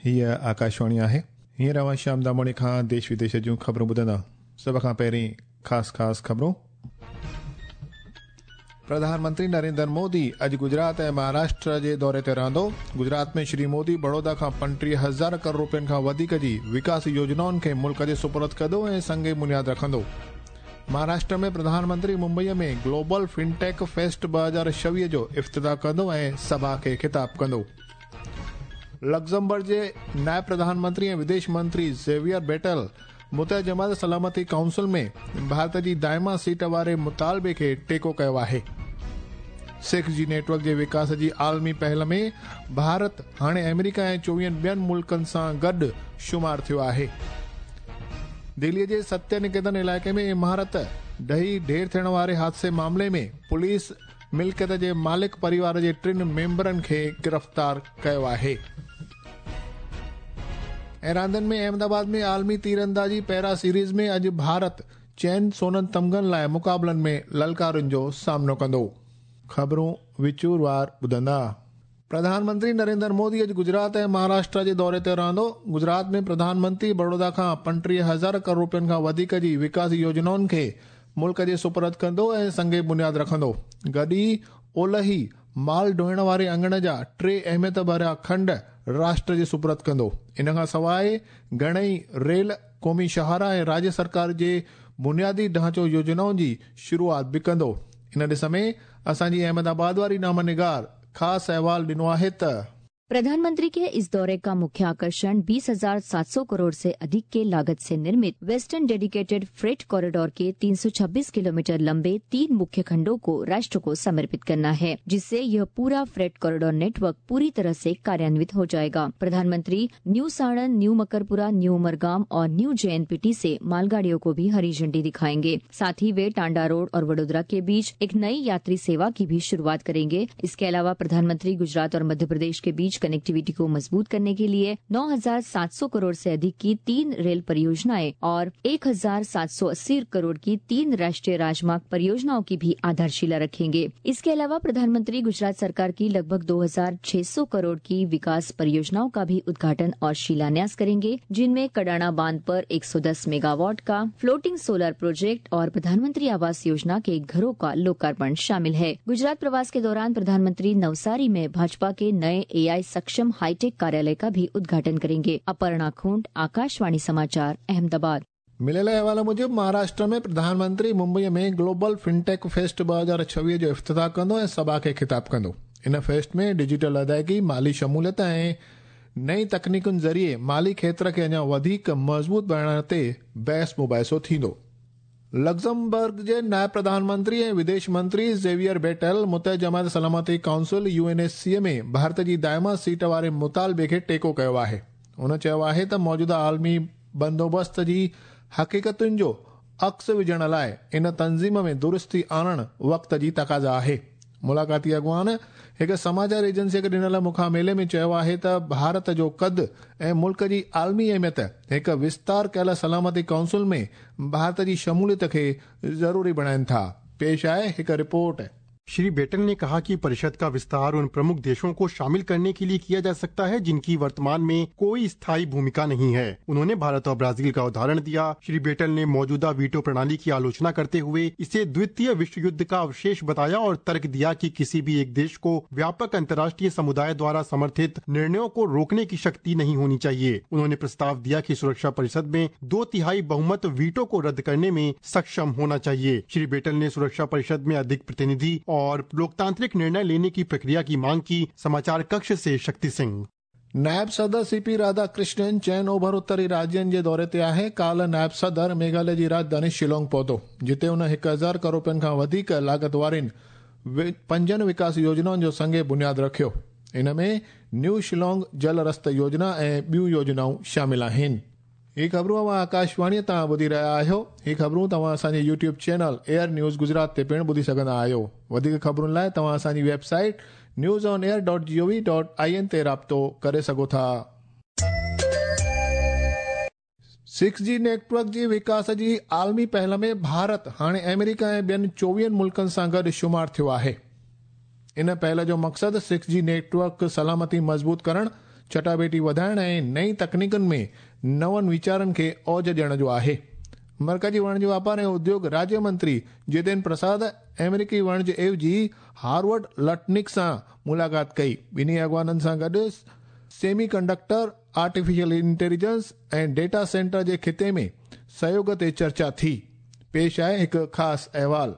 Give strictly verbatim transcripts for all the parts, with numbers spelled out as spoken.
हीअ आकाशवाणी आहे। हींअर अव्हां श्याम दामोणी खां देश विदेश जूं ख़बरूं ॿुधंदा। सभ खां पहिरीं ख़ासि ख़ासि ख़बरूं। प्रधानमंत्री नरेंद्र मोदी अॼु गुजरात ऐं महाराष्ट्र जे दौरे ते रहंदो। गुजरात में श्री मोदी बड़ौदा खां पंटीह हज़ार करोड़ रुपयनि खां वधीक जी विकास योजनाउनि खे मुल्क जे सुपुर्द कंदो ऐं संग बुनियाद रखंदो। महाराष्ट्र में प्रधानमंत्री मुंबईअ में ग्लोबल फिनटेक फेस्ट ॿ हज़ार छवीह जो इफ्तिताह कंदो ऐं सभा खे ख़िताब कंदो। लग्जमबर्ग जे नायब प्रधानमंत्री ऐं विदेश मंत्री ज़ेवियर बेटल मुतह जमात सलामती काउंसिल में भारत जी दाइमा सीट वारे मुतालबे खे टेको कयो आहे। सिक्स जी नेटवर्क जे विकास जी आलमी पहल में भारत हाणे अमेरिका ऐं चोवीहनि ॿियनि मुल्कनि सां गॾु शुमार थियो आहे। दिल्लीअ जे सत्य निकेतन इलाइक़े में इमारत ढही ढेर थियण वारे हादसे मामले में पुलिस मिल्कियत जे मालिक परिवार जे टिनि मेंबरनि खे गिरफ़्तार कयो आहे। ऐं रांदनि में अहमदाबाद में आलमी तीरंदाजी पैरा सीरीज़ में अॼु भारत चइनि सोननि तमगनि लाइ मुक़ाबलनि में ललकारुनि जो सामनो कंदो। ख़बरूं विचूरवार ॿुधंदा। प्रधानमंत्री नरेंद्र मोदी अॼु गुजरात ऐं महाराष्ट्र जे दौरे ते रहंदो। गुजरात में प्रधानमंत्री बड़ौदा खां पंटीह हज़ार करोड़ रुपयनि खां वधीक जी विकास योजनाउनि खे मुल्क जे सुपुर्द कंदो ऐं संग बुनियाद रखंदो। गॾु ई ओलही माल ढोइण वारे अंगण जा टे अहमियत भरिया खंड राष्ट्र जे सुपुर्द कंदो। इन खां सवाइ घणेई रेल, क़ौमी शाहरा ऐं राज्य सरकार जे बुनियादी ढांचो योजनाउनि जी शुरूआत बि कंदो। इन ॾिस में असांजी अहमदाबाद वारी नामनिगार ख़ासि अहवाल ॾिनो आहे त प्रधानमंत्री के इस दौरे का मुख्य आकर्षण बीस हजार सात सौ करोड़ से अधिक के लागत से निर्मित वेस्टर्न डेडिकेटेड फ्रेट कॉरिडोर के तीन सौ छब्बीस किलोमीटर लंबे तीन मुख्य खंडों को राष्ट्र को समर्पित करना है, जिससे यह पूरा फ्रेट कॉरिडोर नेटवर्क पूरी तरह से कार्यान्वित हो जाएगा। प्रधानमंत्री new Sanand, new Makarpura, new Umargam और न्यू जेएनपीटी से मालगाड़ियों को भी हरी झंडी दिखाएंगे। साथ ही वे टांडा रोड और वडोदरा के बीच एक नई यात्री सेवा की भी शुरुआत करेंगे। इसके अलावा प्रधानमंत्री गुजरात और मध्य प्रदेश के बीच कनेक्टिविटी को मजबूत करने के लिए नौ हजार सात सौ करोड़ से अधिक की तीन रेल परियोजनाएं और एक हजार सात सौ अस्सी करोड़ की तीन राष्ट्रीय राजमार्ग परियोजनाओं की भी आधारशिला रखेंगे। इसके अलावा प्रधानमंत्री गुजरात सरकार की लगभग दो हजार छह सौ करोड़ की विकास परियोजनाओं का भी उद्घाटन और शिलान्यास करेंगे, जिनमें कडाणा बांध पर एक सौ दस मेगावाट का फ्लोटिंग सोलर प्रोजेक्ट और प्रधानमंत्री आवास योजना के घरों का लोकार्पण शामिल है। गुजरात प्रवास के दौरान प्रधानमंत्री नवसारी में भाजपा के नए एआई सक्षम हाईटेक कार्यालय का भी उद्घाटन करेंगे। अपर्णा खूंट, आकाशवाणी समाचार, अहमदाबाद। मिलियल अहवाल मूजिबि महाराष्ट्र में प्रधानमंत्री मुंबईअ में ग्लोबल फिनटेक फेस्ट ॿ हज़ार छवीह जो इफ्तिताह कंदो ऐं सभा खे ख़िताब कंदो। इन फेस्ट में डिजिटल अदायगी, माली शमूलियत ऐं नई तकनीकुनि ज़रिए माली क्षेत्र खे अञा वधीक मज़बूत बणाइण ते बहस मुबाहिसो थींदो। लग्जमबर्ग जे नायब प्रधानमंत्री ऐं विदेश मंत्री ज़ेवियर बेटल मुतह जमात सलामती काउंसिल यूएनएससी में भारत जी दाइमा सीट वारे मुतालबे खे टेको कयो आहे। हुन चयो आहे त मौजूदा आलमी बंदोबस्त जी हक़ीक़तुनि जो अक्स विझण लाइ इन तंज़ीम में दुरुस्ती आणण वक़्त जी तक़ाज़ा आहे। मुलाक़ाती अॻुवान हिकु समाचार एजेंसीअ खे ॾिनल मुखामेले में चयो आहे त भारत जो क़द ऐं मुल्क जी आलमी अहमियत हिकु विस्तार कयल सलामती काउंसिल में भारत जी शमूलियत खे ज़रूरी बणाइनि था। पेश आहे हिकु रिपोर्ट। श्री बेटल ने कहा कि परिषद का विस्तार उन प्रमुख देशों को शामिल करने के लिए किया जा सकता है जिनकी वर्तमान में कोई स्थायी भूमिका नहीं है। उन्होंने भारत और ब्राजील का उदाहरण दिया। श्री बेटल ने मौजूदा वीटो प्रणाली की आलोचना करते हुए इसे द्वितीय विश्व युद्ध का अवशेष बताया और तर्क दिया कि किसी भी एक देश को व्यापक अंतर्राष्ट्रीय समुदाय द्वारा समर्थित निर्णयों को रोकने की शक्ति नहीं होनी चाहिए। उन्होंने प्रस्ताव दिया कि सुरक्षा परिषद में दो तिहाई बहुमत वीटो को रद्द करने में सक्षम होना चाहिए। श्री बेटल ने सुरक्षा परिषद में अधिक प्रतिनिधि और लोकतांत्रिक निर्णय लेने की प्रक्रिया की मांग की। समाचार कक्ष से शक्ति सिंह। नायब सदर सीपी राधाकृष्णन चइनि ओभर उत्तरी राज्यनि जे दौरे ते आहे। काल्ह नायब सदर मेघालय जी राजधानी शिलोंग पहुतो, जिते हुन हिकु हज़ार करोड़ रुपयनि खां वधीक लागत वारियुनि पंजनि विकास योजनाउनि जो संग बुनियाद रखियो। इन में न्यू शिलोंग जल रस्त योजना ऐं ॿियूं योजनाऊं शामिल आहिनि। ही ख़बरूं अव्हां आकाशवाणीअ तां ॿुधी रहिया आहियो। ही ख़बरूं तव्हां असांजे YouTube channel air news Gujarat ते पिणु ॿुधी सघंदा आहियो। वधीक ख़बरुनि लाइ तव्हां असांजी website news on air dot G O V dot I N ते राब्तो करे सघो था। सिक्स जी नेटवर्क जी विकास जी आलमी पहल में भारत हाणे अमेरिका ऐं ॿियनि चोवीहनि मुल्कनि सां गॾु शुमार थियो आहे। इन पहल जो मक़सदु सिक्स जी नेटवर्क सलामती मज़बूत करणु, चटाबेटी वधाइण ऐं नई तकनीकुनि में नवनि वीचारनि खे औज ॾियण जो आहे। मर्कजी वाणिज्य वापार ऐं उद्योग राज्य मंत्री जितेंद्र प्रसाद अमेरिकी वाणिज्य एवजी हार्वर्ड लटनिक सां मुलाक़ात कई। ॿिन्ही अॻवाननि सां गॾु सेमी कंडक्टर, आर्टिफिशियल इंटेलिजेंस ऐं डेटा सेंटर जे ख़िते में सहयोग ते चर्चा थी। पेश आहे हिकु ख़ासि अहवाल।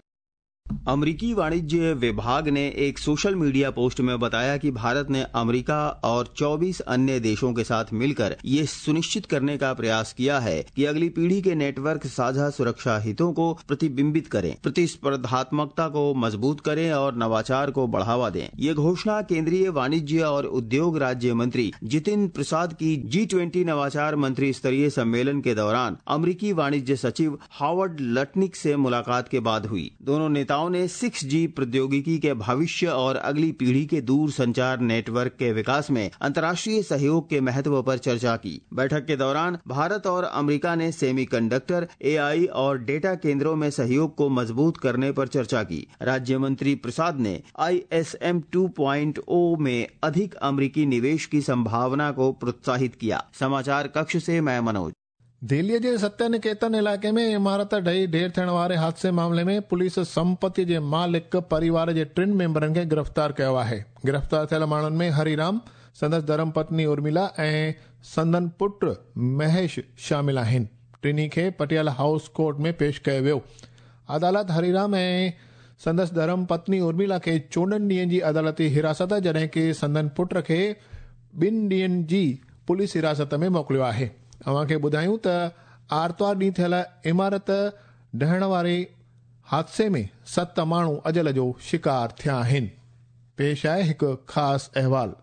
अमरीकी वाणिज्य विभाग ने एक सोशल मीडिया पोस्ट में बताया कि भारत ने अमेरिका और चौबीस अन्य देशों के साथ मिलकर ये सुनिश्चित करने का प्रयास किया है कि अगली पीढ़ी के नेटवर्क साझा सुरक्षा हितों को प्रतिबिंबित करें, प्रतिस्पर्धात्मकता को मजबूत करें और नवाचार को बढ़ावा दें। ये घोषणा केंद्रीय वाणिज्य और उद्योग राज्य मंत्री जितिन प्रसाद की जी ट्वेंटी नवाचार मंत्री स्तरीय सम्मेलन के दौरान अमरीकी वाणिज्य सचिव हावर्ड लटनिक से मुलाकात के बाद हुई। दोनों नेताओं ने सिक्स जी प्रौद्योगिकी के भविष्य और अगली पीढ़ी के दूर संचार नेटवर्क के विकास में अंतर्राष्ट्रीय सहयोग के महत्व पर चर्चा की। बैठक के दौरान भारत और अमेरिका ने सेमीकंडक्टर, एआई और डेटा केंद्रों में सहयोग को मजबूत करने पर चर्चा की। राज्य मंत्री प्रसाद ने I S M two point O में अधिक अमेरिकी निवेश की संभावना को प्रोत्साहित किया। समाचार कक्ष से मैं मनोज। दिल्लीअ जे सत्य निकेतन इलाइक़े में इमारत ढही ढेर थियण वारे हादसे मामले में पुलिस संपत्ति जे मालिक परिवार जे टिनि मेंबरनि खे गिरफ़्तार कयो आहे। गिरफ़्तार थियल माण्हुनि में हरिराम, संदसि धर्मपत्नी उर्मिला ऐं संदन पुट महेश शामिल आहिनि। टिन्ही खे पटियाला हाउस कोर्ट में पेश कयो वियो। अदालत हरिराम ऐं संदसि धर्मपत्नी उर्मिला खे चोॾहं ॾींहनि जी अदालती हिरासत, जॾहिं की संदन पुट खे ॿिनि ॾींहनि जी पुलिस हिरासत में मोकिलियो आहे। अव्हां खे ॿुधायूं त आरतवार ॾींहुं थियल इमारत ढहण वारे हादसे में सत माण्हू अजल जो शिकार थिया आहिनि। पेश आहे हिकु ख़ासि अहवाल।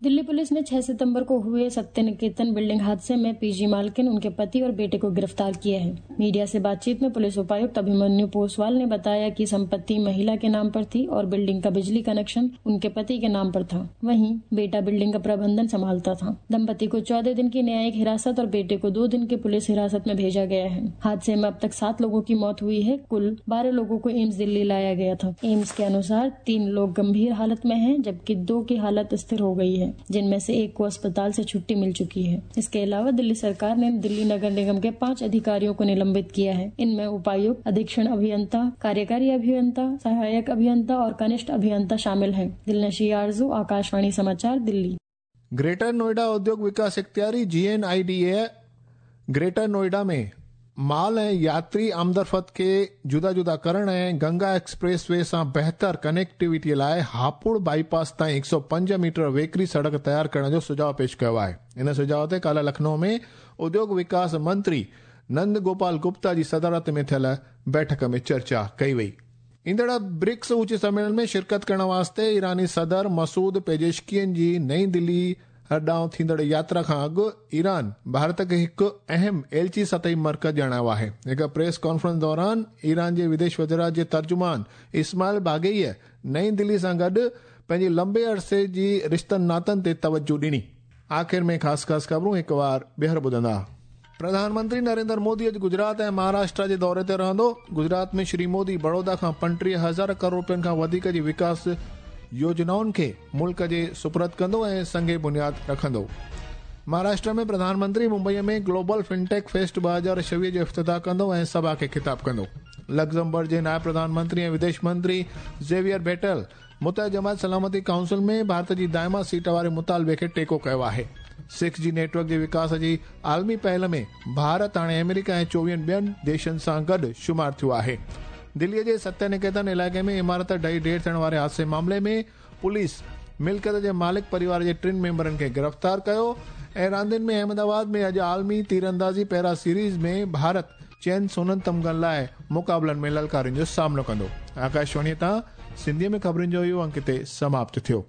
दिल्ली पुलिस ने छह सितंबर को हुए सत्य निकेतन बिल्डिंग हादसे में पीजी मालकिन, उनके पति और बेटे को गिरफ्तार किया है। मीडिया से बातचीत में पुलिस उपायुक्त अभिमन्यु पोसवाल ने बताया कि संपत्ति महिला के नाम पर थी और बिल्डिंग का बिजली कनेक्शन उनके पति के नाम पर था। वहीं बेटा बिल्डिंग का प्रबंधन संभालता था। दंपति को चौदह दिन की न्यायिक हिरासत और बेटे को दो दिन की पुलिस हिरासत में भेजा गया है। हादसे में अब तक सात लोगों की मौत हुई है। कुल बारह लोगों को एम्स दिल्ली लाया गया था। एम्स के अनुसार तीन लोग गंभीर हालत में है, जबकि दो की हालत स्थिर हो गई है, जिनमें से एक को अस्पताल से छुट्टी मिल चुकी है। इसके अलावा दिल्ली सरकार ने दिल्ली नगर निगम के पांच अधिकारियों को निलंबित किया है। इनमें उपायुक्त, अधीक्षण अभियंता, कार्यकारी अभियंता, सहायक अभियंता और कनिष्ठ अभियंता शामिल हैं। दिलनशी आरजू, आकाशवाणी समाचार, दिल्ली। ग्रेटर नोएडा उद्योग विकास इख्तियारी G N I D A Greater Noida में माल ऐं यात्री आमदरफ़्त खे जुदा जुदा करण ऐं गंगा एक्सप्रेस वे सां बहितर कनेक्टिविटी लाइ हापुड़ बाईपास ताईं हिकु सौ पंज मीटर वेकरी सड़क तयार करण जो सुझाउ पेश कयो आहे। इन सुझाव ते काल्ह लखनऊ में उद्योग विकास मंत्री नंद गोपाल गुप्ता जी सदारत में थियल बैठक में चर्चा कई वई। ईंदड़ ब्रिक्स उच्च सम्मेलन में शिरकत करण वास्ते ईरानी सदर मसूद पेजेशकियन जी नई दिल्ली ॾांहुं थींदड़ यात्रा खां अॻु ईरान भारत खे हिकु अहम एलची सतही मर्कज़ ॼाणायो आहे। हिकु प्रेस कॉन्फ्रेंस दौरान ईरान जे विदेश वज़ारत जे तर्जुमान इस्माइल बागेईअ नई दिल्ली सां गॾु पंहिंजी लंबे अरसे जी रिश्तनि नातनि ते तवज्जो ॾिनी। आख़िर में ख़ासि ख़ासि ख़बरूं हिकु वार ॿीहर ॿुधंदा। प्रधानमंत्री नरेंद्र मोदी अॼु गुजरात ऐं महाराष्ट्र जे दौरे ते रहंदो। गुजरात में श्री मोदी बड़ौदा खां पंटीह हज़ार करोड़ रुपयनि खां वधीक जी विकास योजनाउनि खे मुल्क जे सुपुर्द कंदो ऐं संगे बुनियाद रखंदो। महाराष्ट्र में प्रधानमंत्री मुंबईअ में ग्लोबल फिनटेक फेस्ट ॿ हज़ार छवीह जो इफ्तिताह कंदो ऐं सभा खे ख़िताब कंदो। लग्जमबर्ग जे नायब प्रधानमंत्री ऐं विदेश मंत्री जेवियर बेटल मुतह जमात सलामती काउंसिल में भारत जी दायमा सीट वारे मुतालबे खे टेको कयो आहे। सिक्स जी नेटवर्क जे विकास जी आलमी पहल में भारत हाणे अमेरिका ऐं चोवीहनि ॿियनि देशनि सां गॾु शुमार थियो आहे। दिल्लीअ जे सत्य निकेतन इलाइक़े में इमारत ढही ढेर थियण वारे हादसे मामले में पुलिस मिल्कियत जे मालिक परिवार जे टिनि मेंबरनि खे गिरफ़्तार कयो। ऐं रांदियुनि में अहमदाबाद में अॼु आलमी तीरंदाज़ी पैरा सीरीज़ में भारत चइनि सोननि तमगनि लाइ मुक़ाबलनि में ललकारियुनि जो सामनो कंदो। आकाशवाणीअ तां सिंधीअ में ख़बरुनि जो इहो अंक हिते समाप्त थियो।